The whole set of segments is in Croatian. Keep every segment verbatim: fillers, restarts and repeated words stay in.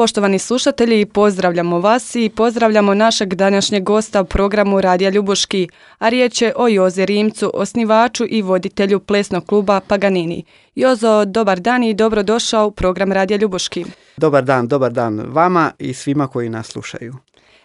Poštovani slušatelji, pozdravljamo vas i pozdravljamo našeg današnjeg gosta u programu Radija Ljubuški, a riječ je o Jozi Rimcu, osnivaču i voditelju plesnog kluba Paganini. Jozo, dobar dan i dobrodošao u program Radija Ljubuški. Dobar dan, dobar dan vama i svima koji nas slušaju.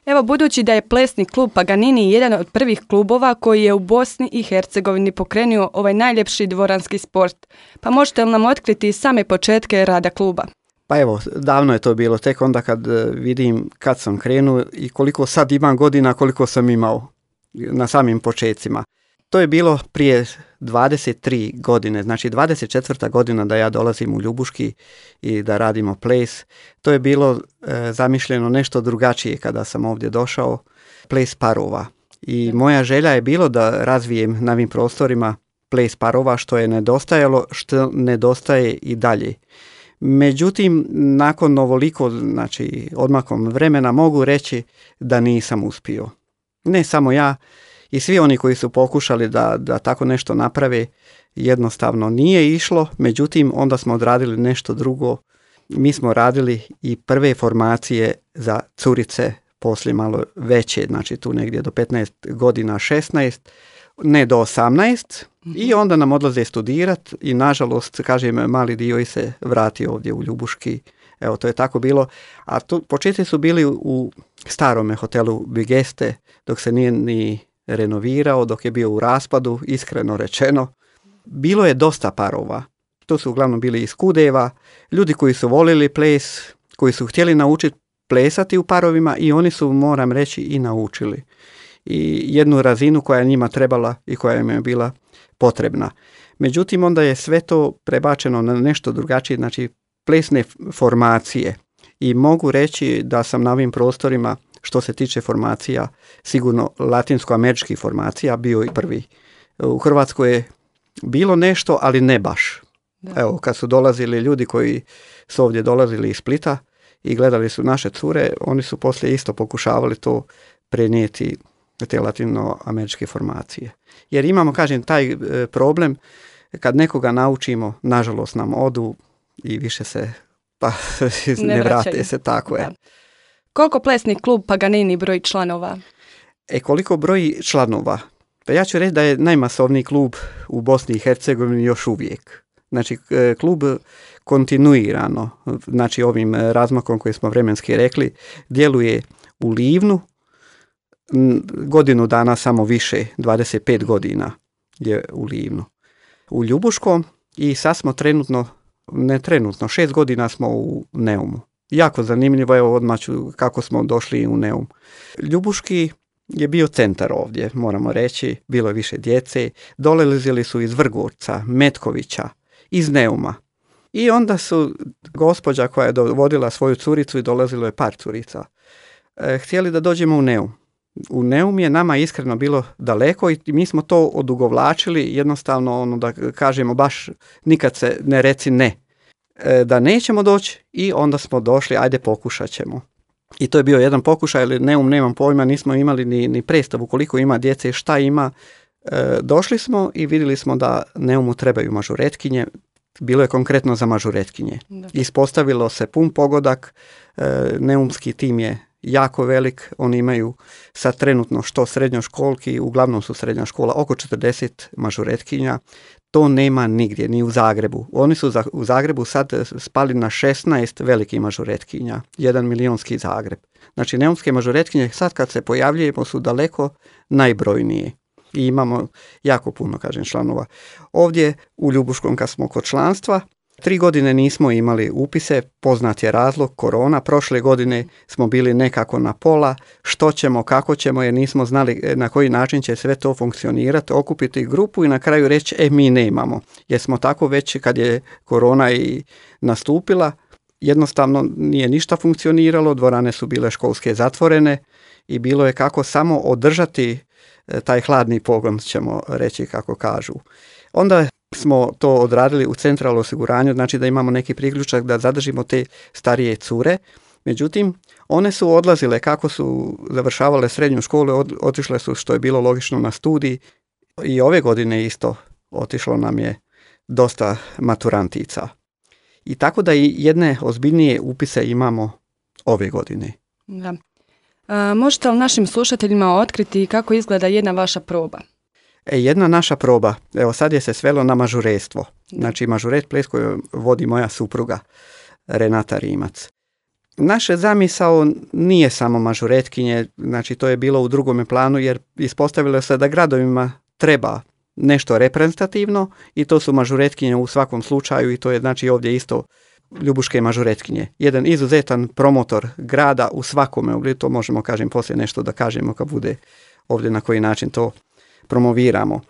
Evo, budući da je plesni klub Paganini jedan od prvih klubova koji je u Bosni i Hercegovini pokrenuo ovaj najljepši dvoranski sport, pa možete li nam otkriti same početke rada kluba? Pa evo, davno je to bilo, tek onda kad vidim kad sam krenuo i koliko sad imam godina, koliko sam imao na samim početcima. To je bilo prije dvadeset tri godine, znači dvadeset četvrta godina da ja dolazim u Ljubuški i da radimo ples. To je bilo e, zamišljeno nešto drugačije kada sam ovdje došao, ples parova. I moja želja je bilo da razvijem na ovim prostorima ples parova, što je nedostajalo, što nedostaje i dalje. Međutim, nakon ovoliko, znači odmakom vremena, mogu reći da nisam uspio. Ne samo ja, i svi oni koji su pokušali da, da tako nešto naprave, jednostavno nije išlo. Međutim, onda smo odradili nešto drugo. Mi smo radili i prve formacije za curice, poslije malo veće, znači tu negdje do petnaest godina, šesnaest, ne do osamnaest, i onda nam odlaze studirat i nažalost, kažem, mali dio i se vrati ovdje u Ljubuški. Evo, to je tako bilo. A tu početci su bili u starome hotelu Bigeste, dok se nije ni renovirao, dok je bio u raspadu, iskreno rečeno. Bilo je dosta parova. To su uglavnom bili iz Kudeva, ljudi koji su volili ples, koji su htjeli naučiti plesati u parovima i oni su, moram reći, i naučili. I jednu razinu koja je njima trebala i koja im je bila potrebna. Međutim, onda je sve to prebačeno na nešto drugačije, znači plesne formacije. I mogu reći da sam na ovim prostorima, što se tiče formacija, sigurno latinsko-američkih formacija, bio i prvi. U Hrvatskoj je bilo nešto, ali ne baš. Da. Evo, kad su dolazili ljudi koji su ovdje dolazili iz Splita i gledali su naše cure, oni su poslije isto pokušavali to prenijeti, te latinoameričke formacije. Jer imamo, kažem, taj e, problem, kad nekoga naučimo, nažalost nam odu i više se pa ne, ne vrate se, tako je. Koliko plesni klub Paganini broji članova? E, koliko broji članova? Pa ja ću reći da je najmasovniji klub u Bosni i Hercegovini još uvijek. Znači, klub kontinuirano, znači ovim razmakom koji smo vremenski rekli, djeluje u Livnu, godinu dana samo više, dvadeset pet godina je u Livnu. U Ljubuškom i sad smo trenutno, ne trenutno, šest godina smo u Neumu. Jako zanimljivo, evo odmah ću kako smo došli u Neum. Ljubuški je bio centar ovdje, moramo reći, bilo je više djece, dolazili su iz Vrgorca, Metkovića, iz Neuma. I onda su gospođa koja je dovodila svoju curicu i dolazilo je par curica, e, htjeli da dođemo u Neum. U Neum je nama iskreno bilo daleko i mi smo to odugovlačili, jednostavno ono da kažemo baš nikad se ne reci ne, e, da nećemo doći, i onda smo došli, ajde pokušat ćemo. I to je bio jedan pokušaj, ali Neum nemam pojma, nismo imali ni, ni predstavu koliko ima djece, šta ima. E, došli smo i vidjeli smo da Neumu trebaju mažuretkinje, bilo je konkretno za mažuretkinje. Da. Ispostavilo se pun pogodak, e, neumski tim je jako velik, oni imaju sad trenutno što srednjoškolki, uglavnom su srednja škola, oko četrdeset mažuretkinja, to nema nigdje, ni u Zagrebu. Oni su za, u Zagrebu sad spali na šesnaest velikih mažuretkinja, jedan milionski Zagreb. Znači, neumske mažuretkinje sad kad se pojavljujemo su daleko najbrojnije. I imamo jako puno, kažem, članova. Ovdje u Ljubuškom kad smo kod članstva, tri godine nismo imali upise, poznat je razlog, korona. Prošle godine smo bili nekako na pola, što ćemo, kako ćemo, jer nismo znali na koji način će sve to funkcionirati, okupiti grupu i na kraju reći, e, mi nemamo. Jer smo tako već kad je korona i nastupila, jednostavno nije ništa funkcioniralo, dvorane su bile školske zatvorene i bilo je kako samo održati taj hladni pogon, ćemo reći kako kažu. Onda smo to odradili u centralnom osiguranju, znači da imamo neki priključak da zadržimo te starije cure. Međutim, one su odlazile kako su završavale srednju školu, od, otišle su, što je bilo logično, na studij, i ove godine isto otišlo nam je dosta maturantica. I tako da i jedne ozbiljnije upise imamo ove godine. Da. A, možete li našim slušateljima otkriti kako izgleda jedna vaša proba? E, jedna naša proba, evo sad je se svelo na mažuretstvo. Znači mažuret ples koju vodi moja supruga Renata Rimac. Naše zamisao nije samo mažuretkinje, znači to je bilo u drugome planu jer ispostavilo se da gradovima treba nešto reprezentativno i to su mažuretkinje u svakom slučaju i to je znači ovdje isto ljubuške mažuretkinje. Jedan izuzetan promotor grada u svakome, to možemo kažem poslije nešto da kažemo kad bude ovdje na koji način to promoviramo.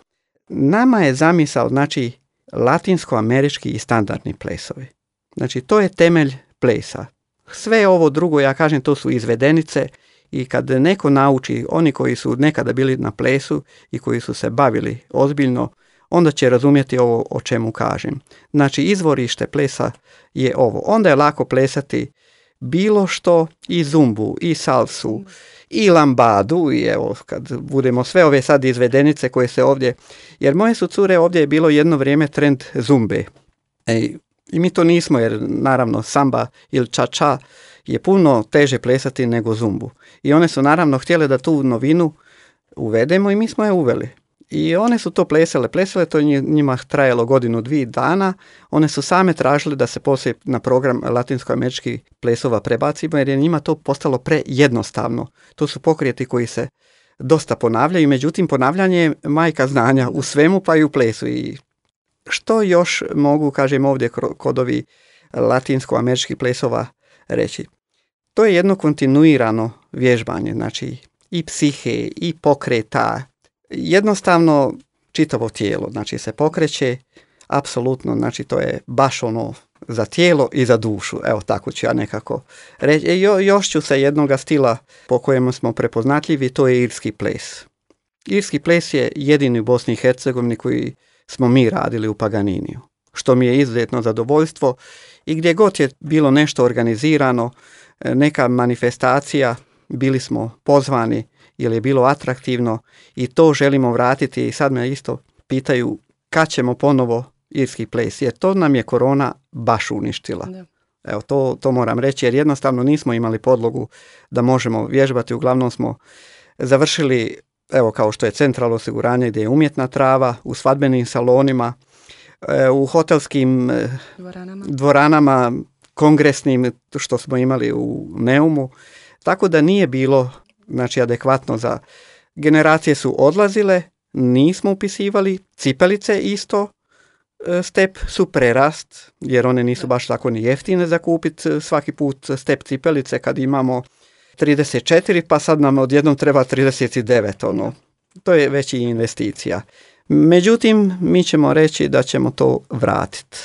Nama je zamisao znači latinsko-američki i standardni plesovi. Znači to je temelj plesa. Sve ovo drugo, ja kažem, to su izvedenice i kad neko nauči, oni koji su nekada bili na plesu i koji su se bavili ozbiljno, onda će razumjeti ovo o čemu kažem. Znači izvorište plesa je ovo. Onda je lako plesati bilo što, i zumbu, i salsu, i lambadu, i evo kad budemo sve ove sad izvedenice koje se ovdje, jer moje su cure, ovdje je bilo jedno vrijeme trend zumbe. E, I mi to nismo, jer naravno samba ili ča-ča je puno teže plesati nego zumbu. I one su naravno htjele da tu novinu uvedemo i mi smo je uveli. I one su to plesale, plesale, to je njima trajalo godinu, dvije dana. One su same tražile da se poslije na program latinsko-američkih plesova prebacimo, jer je njima to postalo prejednostavno. To su pokrijeti koji se dosta ponavljaju, međutim ponavljanje je majka znanja u svemu pa i u plesu. I što još mogu, kažem ovdje kod ovih latinsko-američkih plesova reći? To je jedno kontinuirano vježbanje, znači i psihe, i pokreta, jednostavno čitavo tijelo, znači se pokreće, apsolutno, znači to je baš ono za tijelo i za dušu, evo tako ću ja nekako reći. E, jo, još ću se jednoga stila po kojemu smo prepoznatljivi, to je irski ples. Irski ples je jedini u Bosni i Hercegovini koji smo mi radili u Paganiniju, što mi je izuzetno zadovoljstvo i gdje god je bilo nešto organizirano, neka manifestacija, bili smo pozvani jer je bilo atraktivno i to želimo vratiti i sad me isto pitaju kad ćemo ponovo irski ples, jer to nam je korona baš uništila. Da. Evo, to, to moram reći jer jednostavno nismo imali podlogu da možemo vježbati, uglavnom smo završili, evo kao što je centralno osiguranje gdje je umjetna trava, u svadbenim salonima, u hotelskim dvoranama, dvoranama kongresnim što smo imali u Neumu, tako da nije bilo znači adekvatno za generacije su odlazile, nismo upisivali, cipelice isto, step su prerast, jer one nisu baš tako ni jeftine za kupiti svaki put step cipelice kad imamo trideset četiri, pa sad nam odjednom treba trideset devet, ono, to je već i investicija. Međutim, mi ćemo reći da ćemo to vratiti.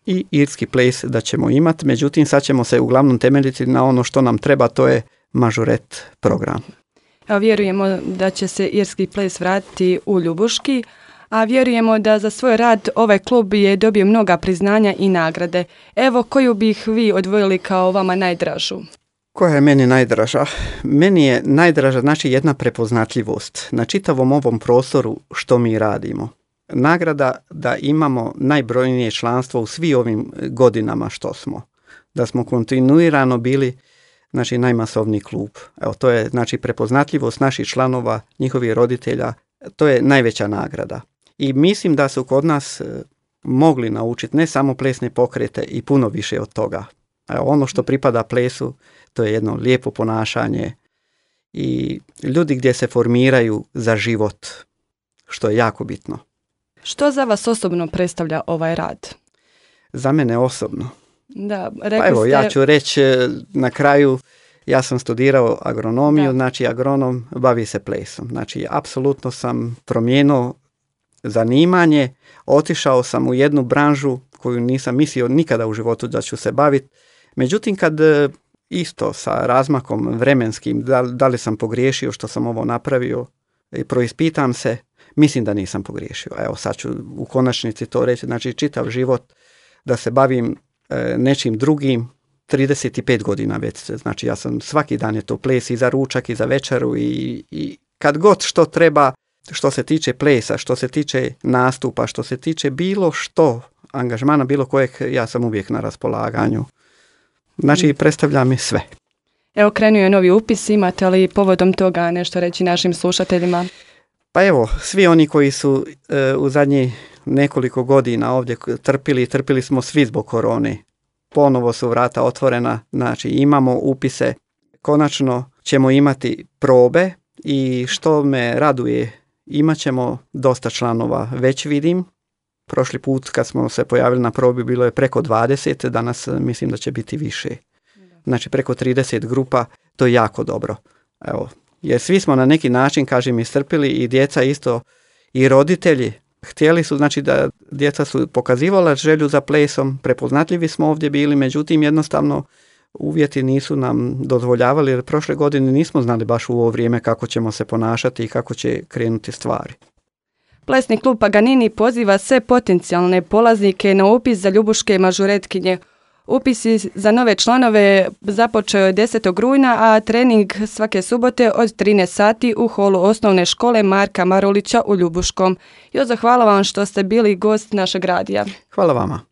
I irski ples da ćemo imati, međutim sad ćemo se uglavnom temeljiti na ono što nam treba, to je mažuret program. A vjerujemo da će se irski ples vratiti u Ljubuški, a vjerujemo da za svoj rad ovaj klub je dobio mnoga priznanja i nagrade. Evo, koju bih vi odvojili kao vama najdražu? Koja je meni najdraža? Meni je najdraža znači jedna prepoznatljivost na čitavom ovom prostoru što mi radimo. Nagrada da imamo najbrojnije članstvo u svim ovim godinama što smo. Da smo kontinuirano bili znači najmasovniji klub. Evo, to je znači prepoznatljivost naših članova, njihovih roditelja, to je najveća nagrada. I mislim da su kod nas mogli naučiti ne samo plesne pokrete i puno više od toga. Evo, ono što pripada plesu, to je jedno lijepo ponašanje i ljudi gdje se formiraju za život, što je jako bitno. Što za vas osobno predstavlja ovaj rad? Za mene osobno? Da, pa evo, ste... ja ću reći na kraju, ja sam studirao agronomiju, da. Znači agronom bavi se plesom. Znači, apsolutno sam promijenio zanimanje, otišao sam u jednu branžu koju nisam mislio nikada u životu da ću se baviti. Međutim, kad isto sa razmakom vremenskim, da, da li sam pogriješio što sam ovo napravio, i proispitam se, mislim da nisam pogriješio. Evo, sad ću u konačnici to reći. Znači, čitav život da se bavim e, nečim drugim, trideset pet godina već. Znači, ja sam svaki dan je to ples i za ručak i za večeru i, i kad god što treba, što se tiče plesa, što se tiče nastupa, što se tiče bilo što, angažmana bilo kojeg, ja sam uvijek na raspolaganju. Znači, predstavlja mi sve. Evo, krenuo je novi upis, imate li povodom toga nešto reći našim slušateljima? Pa evo, svi oni koji su e, u zadnjih nekoliko godina ovdje trpili, trpili smo svi zbog korone. Ponovo su vrata otvorena, znači imamo upise. Konačno ćemo imati probe i što me raduje, imat ćemo dosta članova, već vidim. Prošli put kad smo se pojavili na probi bilo je preko dvadeset, danas mislim da će biti više. Znači preko trideset grupa, to je jako dobro. Evo, jer svi smo na neki način, kažem, istrpili i djeca isto i roditelji. Htjeli su, znači da djeca su pokazivala želju za plesom, prepoznatljivi smo ovdje bili, međutim jednostavno uvjeti nisu nam dozvoljavali jer prošle godine nismo znali baš u ovo vrijeme kako ćemo se ponašati i kako će krenuti stvari. Plesni klub Paganini poziva sve potencijalne polaznike na upis za ljubuške mažuretkinje. Upisi za nove članove započeo je desetog rujna, a trening svake subote od trinaest sati u holu osnovne škole Marka Marulića u Ljubuškom. Jozo, hvala vam što ste bili gost našeg radija. Hvala vama.